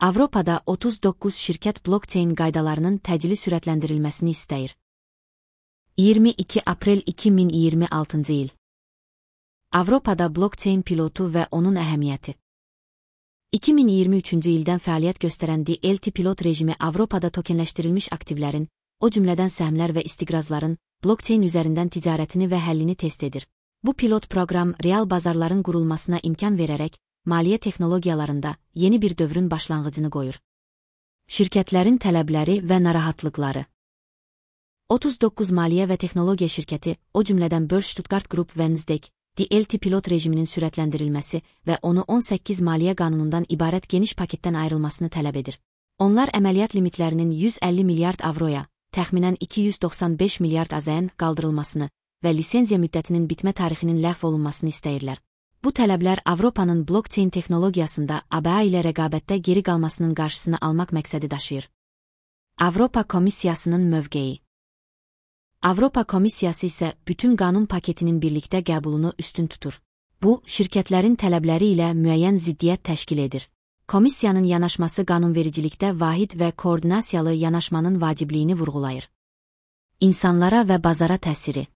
Avropada 39 şirkət blockchain qaydalarının təcili sürətləndirilməsini istəyir. 22 aprel 2026 il. Avropada blockchain pilotu və onun əhəmiyyəti. 2023 ildən fəaliyyət göstərən DLT pilot rejimi Avropada tokenləşdirilmiş aktivlərin, o cümlədən səhmlər və istiqrazların, blockchain üzərindən ticarətini və həllini test edir. Bu pilot proqram real bazarların qurulmasına imkan verərək, maliyyə texnologiyalarında yeni bir dövrün başlanğıcını qoyur. Şirkətlərin tələbləri və narahatlıqları. 39 maliyyə və texnologiya şirkəti, o cümlədən Börse Stuttgart Group və Nasdaq, DLT pilot rejiminin sürətləndirilməsi və onu 18 maliyyə qanunundan ibarət geniş paketdən ayrılmasını tələb edir. Onlar əməliyyat limitlərinin 150 milyard avroya, təxminən 295 milyard AZN qaldırılmasını və lisenziya müddətinin bitmə tarixinin ləğv olunmasını istəyirlər. Bu tələblər Avropanın blockchain texnologiyasında ABA ilə rəqabətdə geri qalmasının qarşısını almaq məqsədi daşıyır. Avropa Komissiyasının mövqeyi. Avropa Komissiyası isə bütün qanun paketinin birlikdə qəbulunu üstün tutur. Bu, şirkətlərin tələbləri ilə müəyyən ziddiyyət təşkil edir. Komissiyanın yanaşması qanunvericilikdə vahid və koordinasiyalı yanaşmanın vacibliyini vurğulayır. İnsanlara və bazara təsiri.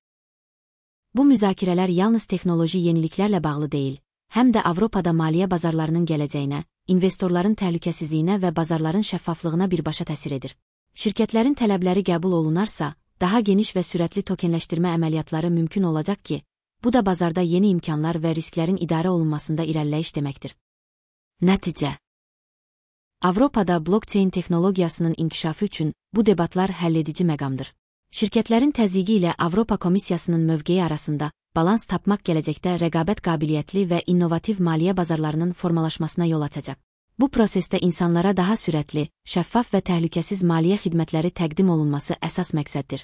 Bu müzakirələr yalnız texnoloji yeniliklərlə bağlı deyil, həm də Avropada maliyyə bazarlarının gələcəyinə, investorların təhlükəsizliyinə və bazarların şəffaflığına birbaşa təsir edir. Şirkətlərin tələbləri qəbul olunarsa, daha geniş və sürətli tokenləşdirmə əməliyyatları mümkün olacaq ki, bu da bazarda yeni imkanlar və risklərin idarə olunmasında irəliləyiş deməkdir. Nəticə. Avropada blockchain texnologiyasının inkişafı üçün bu debatlar həlledici məqamdır. Şirkətlərin təzyiqi ilə Avropa Komissiyasının mövqeyi arasında balans tapmaq gələcəkdə rəqabət qabiliyyətli və innovativ maliyyə bazarlarının formalaşmasına yol açacaq. Bu prosesdə insanlara daha sürətli, şəffaf və təhlükəsiz maliyyə xidmətləri təqdim olunması əsas məqsəddir.